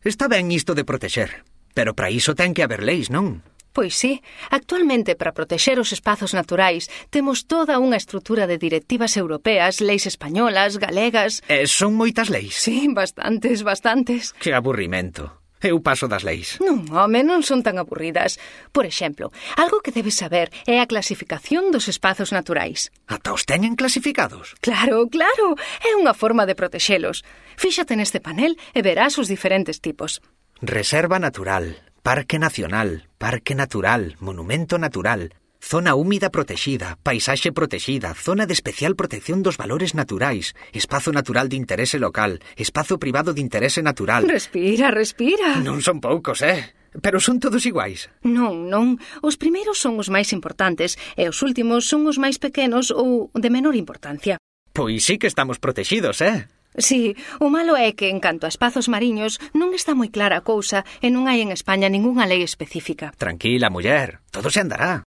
Está ben isto de protexer, pero para iso ten que haber leis, non? Pois sí, actualmente para protexer os espazos naturais temos toda unha estrutura de directivas europeas, leis españolas, galegas... Son moitas leis? Sí, bastantes. Que aburrimento. Eu paso das leis. Non, home, non son tan aburridas. Por exemplo, algo que debes saber é a clasificación dos espazos naturais. Ata os teñen clasificados? Claro, é unha forma de protexelos. Fíxate neste panel e verás os diferentes tipos. Reserva natural, parque nacional, monumento natural, zona húmida protexida, paisaxe protexida, zona de especial protección dos valores naturais, espazo natural de interese local, espazo privado de interese natural... Respira. Non son poucos, pero son todos iguais. Non. Os primeiros son os máis importantes e os últimos son os máis pequenos ou de menor importancia. Pois sí que estamos protexidos, Sí, o malo é que, en canto a espazos mariños, non está moi clara a cousa e non hai en España ningunha lei específica. Tranquila, muller, todo se andará.